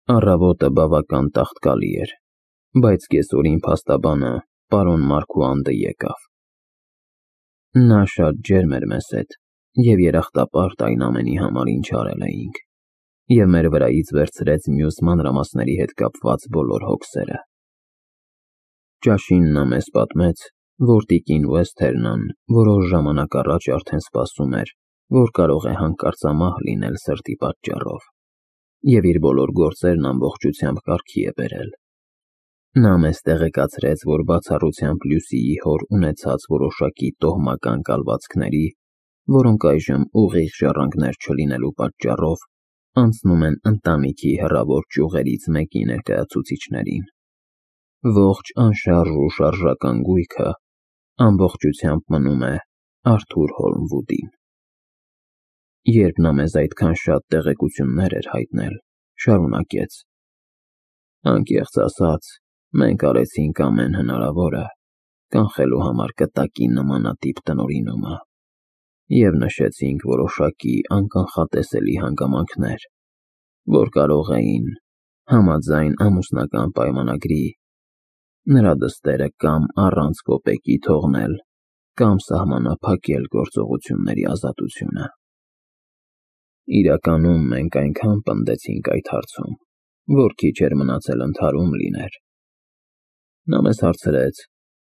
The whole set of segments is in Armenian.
Առավոտը բավական տաղտկալի էր, բայց կեսօրին փաստաբանը պարոն Մարգուանդը եկավ։ Նա շատ ջերմ էր մեզ հետ և երախտապարտ այն ամենի համար, ինչ արել էինք, և մեր վրայից վերցրեց մյուս մանրամասների հետ կապված բոլոր հոգսերը։ Ճաշին նա մեզ պատմեց, որ տիկին Ուեսթերնան որոշ ժամանակ առաջ արդեն սպասում էր, որ կարող է հանկարծամահ լինել սրտի պատճառով, և իր բոլոր գործերն ամբողջությամբ կարգի է բերել։ Նա մեզ տեղեկացրեց, որ բացառությամբ Լյուսիի հոր ունեցած որոշակի տոհմական կալվածքների, որոնք այժմ ուղիղ ժառանգներ չլինելու պատճառով անցնում են ընտանիքի հեռավոր ճյուղերից մեկի ներկայացուցիչներին, ողջ անշարժ ու շարժական գույքը ամբողջությամբ մնում է Արթուր Հոլմվուդին։ Երբ նա մեզ այդքան շատ տեղեկություններ էր հայտնել, շարունակեց. «Անկեղծ ասած, մենք արեցինք ամեն հնարավորը կանխելու համար կտակի նմանատիպ տնօրինումը և նշեցինք որոշակի անկանխատեսելի հանգամանքներ, որ կարող էին, համաձայն ամուսնական պայմանագրի, նրա դստերը կամ առանց կոպեկի թողնել, կամ սահմանափակել գործողությունների ազատությունը։ Իրականում մենք այնքան պնդեցինք այդ հարցում, որ քիչ էր մնացել ընդհարում լիներ։ Նա մեզ հարցրեց,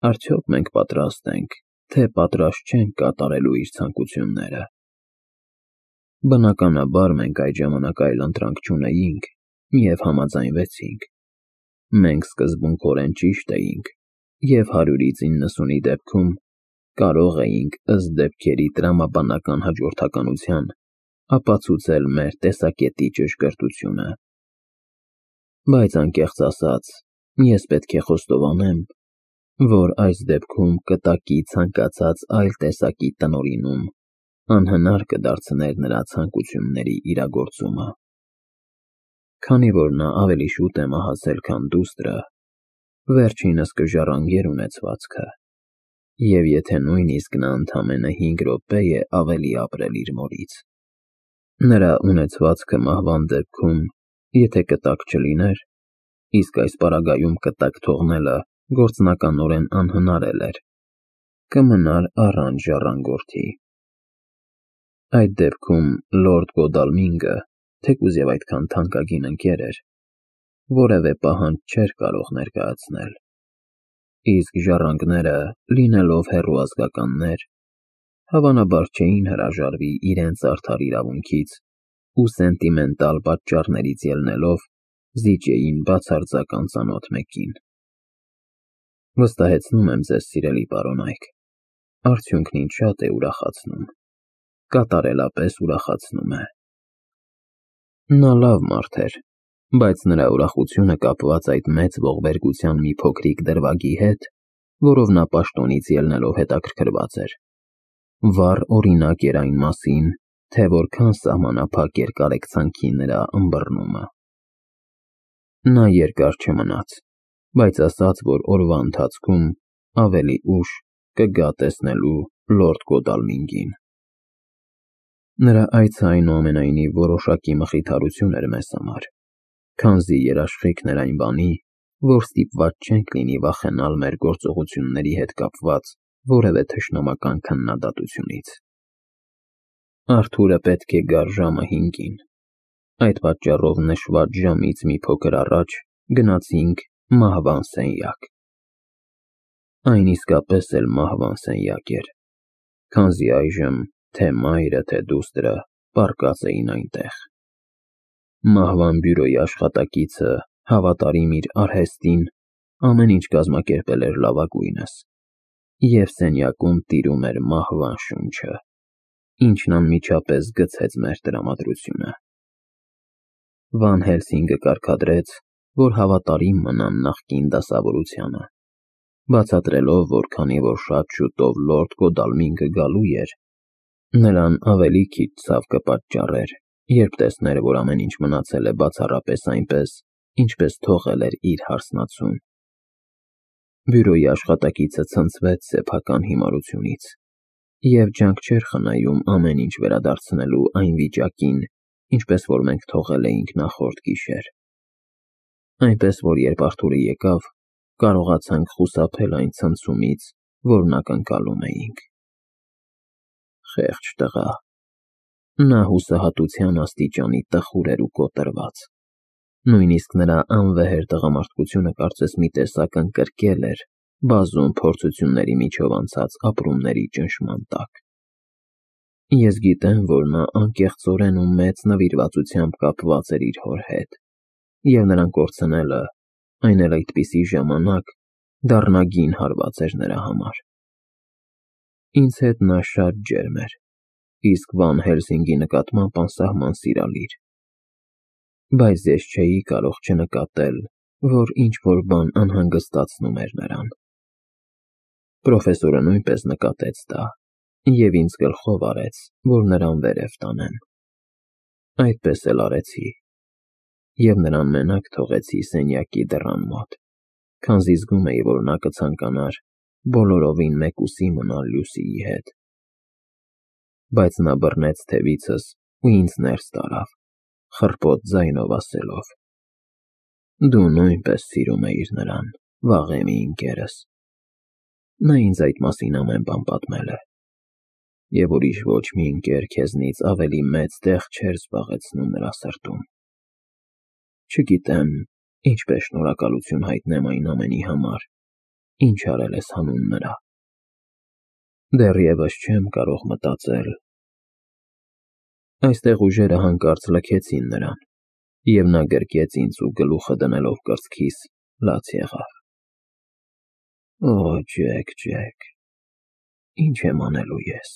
արդյոք մենք պատրաստ ենք, թե պատրաստ չենք կատարելու իր ցանկությունները։ Բնականաբար մենք այդ ժամանակ այլ ընտրանք չունեինք և համաձայնվեցինք։ Մենք սկզբունքորեն ճիշտ էինք և 100-90-ի դեպքում կարող էինք ըստ դեպքերի տրամաբանական հաջորդականության ապացուցել մեր տեսակետի ճշգրտությունը։ Բայց անկեղծ ասած, ես պետք է խոստովանեմ, որ այս դեպքում կտակի ցանկացած այլ տեսակի տնօրինում անհնար կդարձներ նրա ցանկությունների իրագործումը։ Քանի որ նա ավելի շուտ է մահացել, քան դուստրը, վերջինս կժառանգեր ունեցվածքը, և եթե նույնիսկ նա ընդամենը 5 րոպե է ավելի ապրել իր մորից, նրա ունեցվածքը մահվան դեպքում, եթե կտակ չլիներ, իսկ այս պարագայում կտակ թողնելը գործնականորեն անհնար էր, կմնար առանց ժառանգորդի։ Այդ դեպքում լորդ Գոդալմինգը, թեկուզ և այդքան թանկագին ընկեր էր, որևէ պահանջ չէր կարող ներկայացնել, իսկ ժառանգները, լինելով հեռու ազգականներ, հավանաբար չէին հրաժարվի իրենց արդար իրավունքից ու սենտիմենտալ պատճառներից ելնելով զիջեին բացարձակ անծանոթ մեկին։ Վստահեցնում եմ ձեզ, սիրելի պարոնայք, արդյունքն ինձ շատ է ուրախացնում, կատարելապես ուրախացնում է։ Նա լավ մարդ էր, բայց նրա ուրախությունը կապված այդ մեծ ողբերգության մի փոքրիկ դրվագի հետ, որով նա պաշտոնից ելնելով հետաքրքրված էր, վառ օրինակ էր այն մասին, թե որքան սահմանափակ էր կարեկցանքի նրա ըմբռնումը։ Նա երկար չմնաց, բայց ասաց, որ օրվա ընթացքում ավելի ուշ կգա տեսնելու լորդ Գոդալմինգին։ Նրա այցը այնուամենայնիվ որոշակի մխիթարություն էր մեզ համար, քանզի երաշխիքն էր այն բանի, որ ստիպված չենք լինի վախենալ մեր գործողությունների հետ կապված որևէ թշնամական քննադատությունից։ Արթուրը պետք է գար ժամը 5-ին, այդ պատճառով նշված ժամից մի փոքր առաջ գնացինք մահվան սենյակ։ Այն իսկապես էլ մահվան սենյակ էր, քանզի այժմ թե մայրը, թե դուստրը պառկած էին այնտեղ։ Մահվան բյուրոյի աշխատակիցը, հավատարիմ իր արհեստին, ամեն ինչ կազմակերպել էր լավագույնս, և սենյակում տիրում էր մահվան շունչը, ինչն անմիջապես գցեց մեր տրամադրությունը։ Վան Հելսինգը կարգադրեց, որ հավատարիմ մնան նախկին դասավորությանը, բացատրելով, որ քանի որ շատ շուտով լորդ Գոդալմինգը գալու էր, նրան ավելի քիչ ցավ կպատճառեր, երբ տեսներ, որ ամեն ինչ մնացել է բացառապես այնպես, ինչպես թողել էր իր հարսնացուն։ Բյուրոյի աշխատակիցը ցնցվեց սեփական հիմարությունից և ջանք չէր խնայում ամեն ինչ վերադարձնելու այն վիճակին, ինչպես որ մենք թողել էինք նախորդ գիշեր։ Այնպես որ երբ Արթուրը եկավ, կարողացանք խուսափել այն ցնցումից, որն ակնկալում էինք։ Խեղճ տղա։ Նա հուսահատության աստիճանի տխուր էր ու կոտրված։ Նույնիսկ նրա անվեհեր տղամարդկությունը կարծես մի տեսակ ընկրկել էր բազում փորձությունների միջով անցած ապրումների ճնշման տակ։ Ես գիտեմ, որ նա անկեղծորեն ու մեծ նվիրվածությամբ կապված էր իր հոր հետ, և նրան կորցնելը, այն էլ այդպիսի ժամանակ, դառնագին հարված էր նրա համար։ Ինձ հետ նա շատ ջերմ էր, իսկ Վան Հելսինգի նկատմամբ անսահման սիրալիր։ Բայց ես չէի կարող չնկատել, որ ինչ-որ բան անհանգստացնում էր նրան։ Պրոֆեսորը նույնպես նկատեց դա և ինձ գլխով արեց, որ նրան վերև տանեմ։ Այդպես էլ արեցի, և նրան մենակ թողեցի սենյակի դռան մոտ, քանզի զգում էի, որ նա կցանկանար բոլորովին մեկուսի մնալ Լուսիի հետ։ Բայց նա բռնեց թևիցս ու ինձ ներս տարավ, խռպոտ ձայնով ասելով. «Դու նույնպես սիրում էիր նրան, վաղեմի ընկերս։ Նա ինձ այդ մասին ամեն բան պատմել է, և ուրիշ ոչ մի ընկեր քեզնից ավելի մեծ տեղ չէր զբաղեցնում նրա սրտում։ Չգիտեմ ինչպես շնորհակալություն հայտնեմ այն ամենի համար, ինչ արել ես հանուն նրա։ Դեռևս չեմ կարող մտածել»։ Այստեղ ուժերը հանկարծ լքեցին նրան, և նա գրկեց ինձ ու գլուխը դնելով կրծքիս, լաց եղավ։ «Օ, Ջեք, Ջեք, ինչ եմ անելու ես։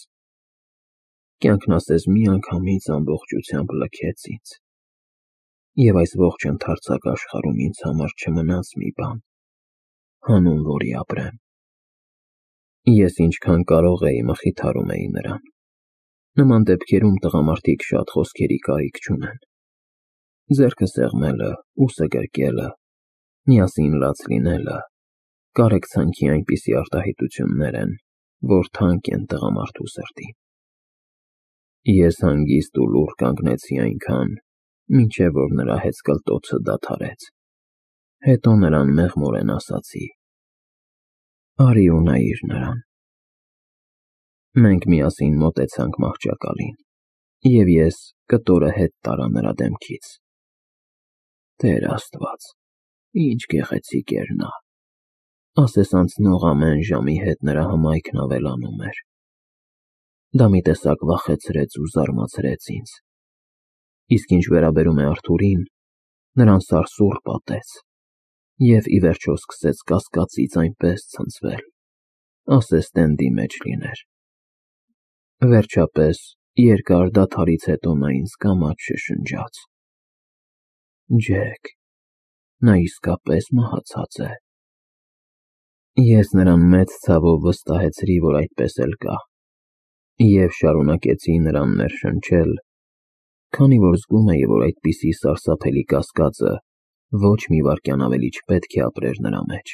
Կյանքն ասես միանգամից ամբողջությամբ լքեց ինձ, և այս ողջ ընդարձակ աշխարհում ինձ համար չմնաց մի բան, հանուն որի ապրեմ»։ Ես ինչքան կարող էի մխիթարում էի նրան։ Նման դեպքերում տղամարդիկ շատ խոսքերի կարիք չունեն։ Ձեռքը սեղմելը, ուսը գրկելը, միասին լաց լինելը կարեկցանքի այնպիսի արտահայտություններ են, որ թանկ են տղամարդու սրտին։ Ես հանգիստ ու լուռ կանգնեցի այնքան, մինչև որ նրա հեծկլտոցը դադարեց։ Հետո նրան մեղմորեն ասացի. «Արի ու նայիր նրան»։ Մենք միասին մոտեցանք մահճակալին, և ես կտորը հետ տարա նրա դեմքից։ Տեր Աստված, ինչ գեղեցիկ էր նա։ Ասես անցնող ամեն ժամի հետ նրա հմայքն ավելանում էր։ Դա մի տեսակ վախեցրեց ու զարմացրեց ինձ։ Իսկ ինչ վերաբերում է Արթուրին, նրան սարսուռ պատեց, և ի վերջո սկսեց կասկածից այնպես ցնցվել, ասես տենդի մեջ լիներ։ Վերջապես, երկար դադարից հետո նա ինձ կամաց շշնջաց. «Ջեք, նա իսկապես մահացած է»։ Ես նրան մեծ ցավով վստահեցրի, որ այդպես էլ կա, և շարունակեցի նրան ներշնչել, քանի որ զգում էի, որ այդպիսի սարսափելի կասկածը ոչ մի վայրկյան ավելի չպետք է ապրեր նրա մեջ,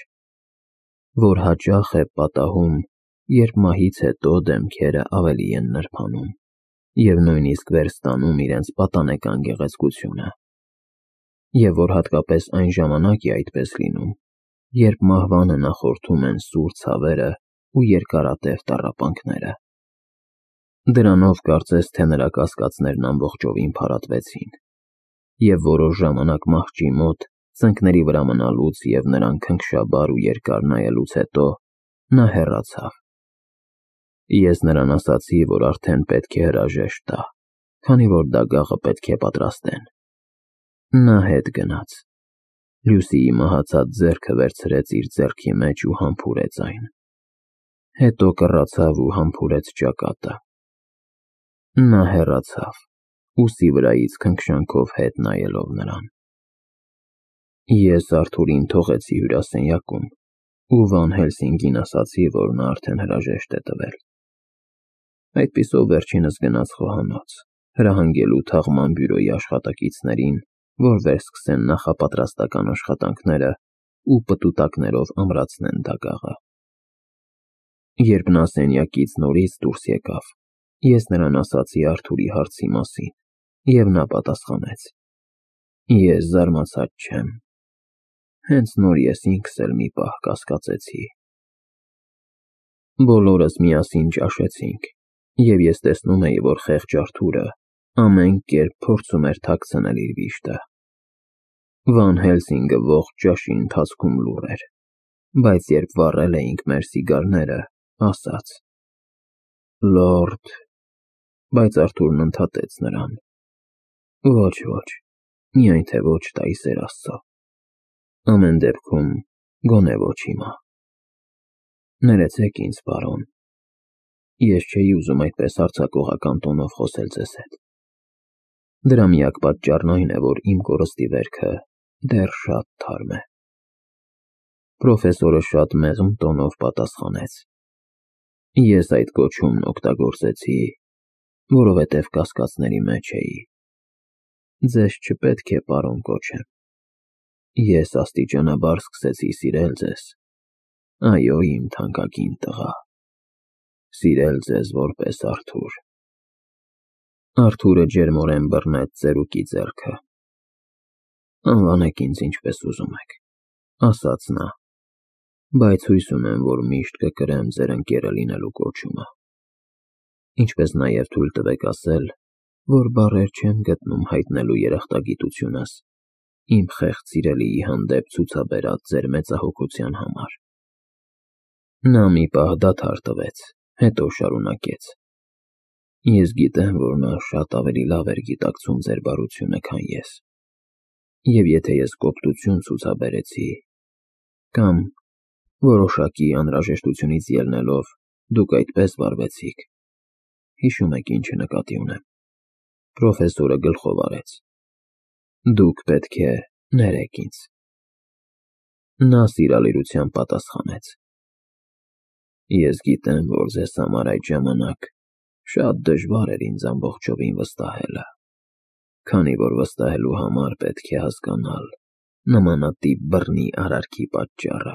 որ հաճախ է պատահում, երբ մահից հետո դեմքերը ավելի են նրբանում և նույնիսկ վերստանում իրենց պատանեկան գեղեցկությունը, և որ հատկապես այն ժամանակ է այդպես լինում, երբ մահվանը նախորդում են սուր ցավերը ու երկարատև տառապանքները։ Դրանով կարծես թե նրա կասկածներն ամբողջովին փարատվեցին, և որոշ ժամանակ մահճի մոտ ծնկների վրա մնալուց և նրան քնքշաբար ու երկար նայելուց հետո նա հեռացավ։ Ես նրան ասացի, որ արդեն պետք է հրաժեշտ տա, քանի որ դագաղը պետք է պատրաստեն։ Նա հետ գնաց։ Լուսիի մահացած ձեռքը վերցրեց իր ձեռքի մեջ ու համբուրեց այն։ Հետո կռացավ ու համբուրեց ճակատը։ Նա հեռացավ, ուսի վրայից քնքշանքով հետ նայելով նրան։ Ես Արթուրին թողեցի հյուրասենյակում ու Վան Հելսինգին ասացի, որ նա արդեն հրաժեշտ է տվել։ Այդպիսով վերջինս գնաց խոհանոց, հրահանգելու թաղման բյուրոյի աշխատակիցներին, որ վերսկսեն նախապատրաստական աշխատանքները ու պտուտակներով ամրացնեն դագաղը։ Երբ նա սենյակից նորից դուրս եկավ, ես նրան ասացի Արթուրի հարցի մասին, և նա պատասխանեց. «Ես զարմացած չեմ, Հենց նոր ես ինքս էլ մի պահ կասկածեցի։ Բոլորս միասին ճաշեցինք, և ես տեսնում էի, որ խեղճ Արթուրը ամեն կերպ փորձում էր թաքցնել իր վիշտը։ Վան Հելսինգը ողջ ճաշի ընթացքում լուռ էր, բայց երբ վառել էինք մեր սիգարները, ասաց. «Լորդ», բայց Արթուրն ընդհատեց նրան. «Ոչ, միայն թե ոչ տա ի սեր Աստծո։ Ամեն դեպքում, գոնե ոչ հիմա։ Ներեցեք ինձ, պարոն, ես չէի ուզում այդպես հարձակողական տոնով խոսել ձեզ հետ։ Դրա միակ պատճառն այն է, որ իմ կորստի վերքը դեռ շատ թարմ է»։ Պրոֆեսորը շատ մեղմ տոնով պատասխանեց. «Ես այդ կոչումն օգտագործեցի, որովհետև կասկածների մեջ էի։ Ձեզ չպետք է պարոն կոչեմ։ Ես աստիճանաբար սկսեցի սիրել ձեզ, այո, իմ թանկագին տղա, սիրել ձեզ որպես Արթուր»։ Արթուրը ջերմորեն բռնեց ծերուկի ձեռքը։ «Անվանեք ինձ ինչպես ուզում եք», ասաց նա, «բայց հույս ունեմ, որ միշտ կկրեմ ձեր ընկերը լինելու կոչումը։ Ինչպես նաև թույլ տվեք ասել, որ բառեր չեմ գտնում հայտնելու երախտագիտությունս իմ խեղճ սիրելիի հանդեպ ցուցաբերած ձեր մեծահոգության համար»։ Նա մի պահ դադար տվեց, հետո շարունակեց. «Ես գիտեմ, որ նա շատ ավելի լավ էր գիտակցում ձեր բարությունը, քան ես, և եթե ես կոպտություն ցուցաբերեցի, կամ որոշակի անհրաժեշտությունից ելնելով դուք այդպես վարվեցիք, հիշում եք ինչը նկատի ունեմ»։ Պրոֆեսորը գլխով արեց. «Դուք պետք է ներեք ինձ»։ Նա սիրալիրությամբ պատասխանեց. «Ես գիտեմ, որ ձեզ համար այդ ժամանակ շատ դժվար էր ինձ ամբողջովին վստահելը, քանի որ վստահելու համար պետք է հասկանալ նմանատիպ բռնի արարքի պատճառը,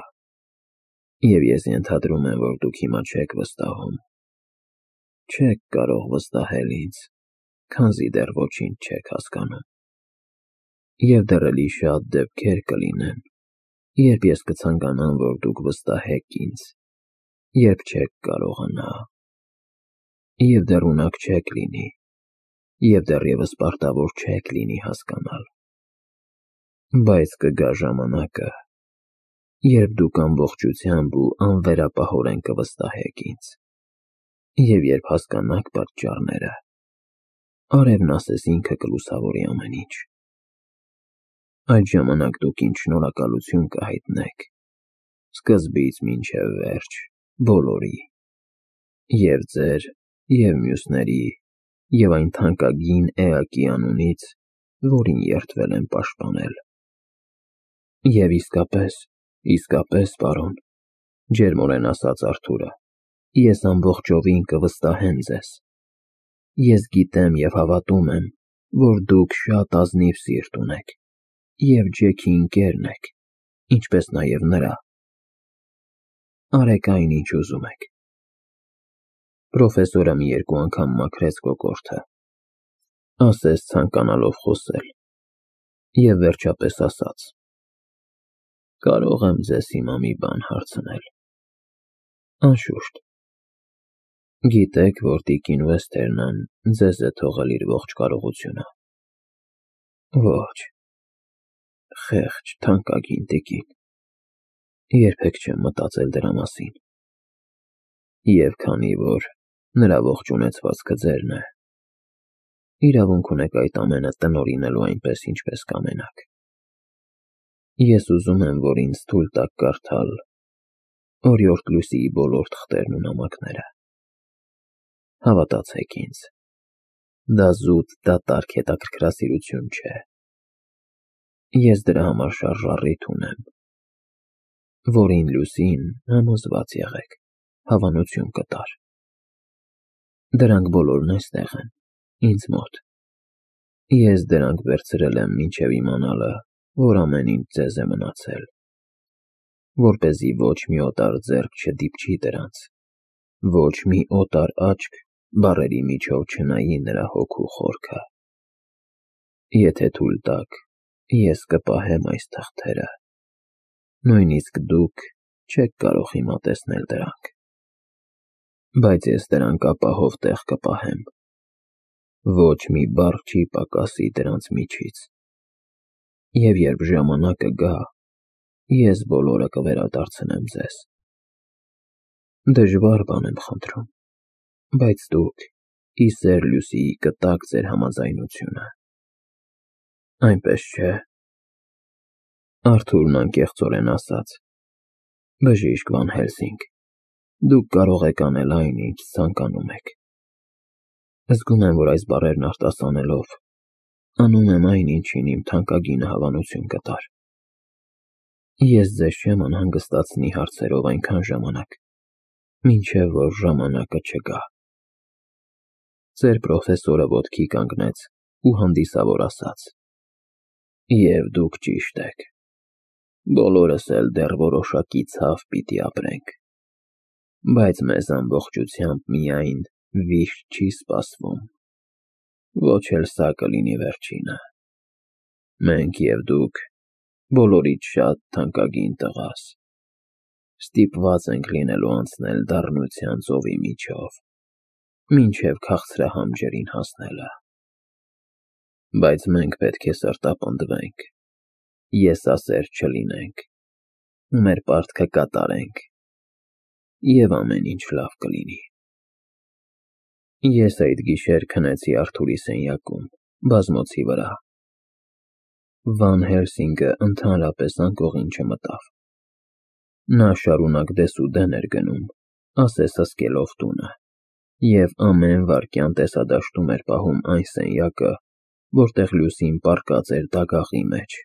և ես ենթադրում եմ, որ դուք հիմա չեք վստահում։ Չեք կարող վստահել ինձ, քանզի դեռ ոչինչ չեք հասկանում։ Եվ դեռ էլի շատ դեպքեր կլինեն, երբ ես կցանկանամ, որ դուք վստահեք ինձ, երբ չեք կարողանա, և դեռ ունակ չեք լինի, և դեռևս պարտավոր չեք լինի հասկանալ։ Բայց կգա ժամանակը, երբ դուք ամբողջությամբ ու անվերապահորեն կվստահեք ինձ, և երբ հասկանաք պատճառները, արևն ասես ինքը կլուսավորի ամեն ինչ։ Այդ ժամանակ դուք ինձ շնորհակալություն կհայտնեք, սկզբից մինչև վերջ, բոլորի, և ձեր, և մյուսների, և այն թանկագին էակի անունից, որին երդվել եմ պաշտպանել։ Եվ իսկապես, պարոն, ջերմորեն ասաց Արթուրը, ես ամբողջովին կվստահեմ ձեզ։ Ես գիտեմ և հավատում եմ, որ դուք շատ ազնիվ սիրտ ունեք, և Ջեքի ընկերն եք, ինչպես նաև նրա։ Արեք այն, ինչ ուզում եք։ Պրոֆեսորը մի երկու անգամ մաքրեց կոկորդը, ասես ցանկանալով խոսել, և վերջապես ասաց. «Կարող եմ ձեզ հիմա մի բան հարցնել»։ «Անշուշտ»։ Գիտեք, որ տիկին Վեսթերնն ձեզ է թողել իր ողջ կարողությունը։ Ոչ, խեղճ, թանկագին տիկին, երբեք չեմ մտածել դրա մասին։ Եվ քանի որ նրա ողջ ունեցվածքը ձերն է, իրավունք ունեք այդ ամենը տնօրինելու այնպես, ինչպես կամենաք։ Ես ուզում եմ, որ ինձ թույլ տաք կարդալ Օրիորդ Լույսիի բոլոր թղթերն ու նամակները։ Հավատացեք ինձ, դա զուտ դատարկ հետաքրքրասիրություն չէ։ Ես դրա համար շարժառիթ ունեմ, որին Լուսին, համոզված եղեք, հավանություն կտար։ Դրանք բոլորն այստեղ են, ինձ մոտ։ Ես դրանք վերցրել եմ մինչև իմանալը, որ ամեն ինչ ձեզ է մնացել, որպեսզի ոչ մի օտար ձեռք չդիպչի դրանց, ոչ մի օտար աչք բառերի միջով չնայի նրա հոգու խորքը։ Եթե թույլ տաք, ես կպահեմ այս թղթերը, Նույնիսկ դուք չեք կարող հիմա տեսնել դրանք, բայց ես դրանք ապահով տեղ կպահեմ, ոչ մի բառ չի պակասի դրանց միջից, և երբ ժամանակը գա, ես բոլորը կվերադարձնեմ ձեզ։ Դժվար բան եմ խնդրում, բայց դուք ի սեր Լյուսիի կտաք ձեր համաձայնությունը, այնպես չէ՞։ Արթուրն անկեղծորեն ասաց. Բժիշկ Վան Հելսինգ, դուք կարող եք անել այն, ինչ ցանկանում եք։ Զգում եմ, որ այս բառերն արտասանելով, անում եմ այն, ինչին իմ թանկագինը հավանություն կտար։ Ես ձեզ չեմ անհանգստացնի հարցերով այնքան ժամանակ, մինչև որ ժամանակը չգա։ Ձեր պրոֆեսորը ոտքի կանգնեց ու հանդիսավոր ասաց. Եվ դուք ճիշտ եք, բոլորս էլ դեռ որոշակի ցավ պիտի ապրենք, բայց մեզ ամբողջությամբ միայն վիշտ չի սպասվում, ոչ էլ սա կլինի վերջինը։ Մենք և դուք, բոլորից շատ թանկագին տղաս, ստիպված ենք լինելու անցնել դառնության ծովի միջով, մինչև քաղցրահամ ջրին հասնելը։ Բայց մենք պետք է սրտապնդվենք, եսասեր չլինենք, մեր պարտքը կատարենք, և ամեն ինչ լավ կլինի։ Ես այդ գիշեր քնեցի Արթուրի սենյակում, բազմոցի վրա։ Վան Հելսինգը ընդհանրապես անկողին չմտավ։ Նա շարունակ դեսուդեն էր գնում, ասես հսկելով տունը, և ամեն վայրկյան տեսադաշտում էր պահում այն սենյակը, որտեղ Լյուսին պառկած էր դագաղի մեջ,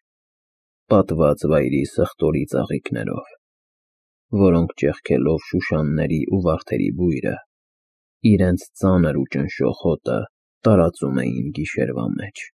պատված վայրի սխտորի ծաղիկներով, որոնք ճեղքելով շուշանների ու վարդերի բույրը, իրենց ծանր ու ճնշող հոտը տարածում էին գիշերվա մեջ։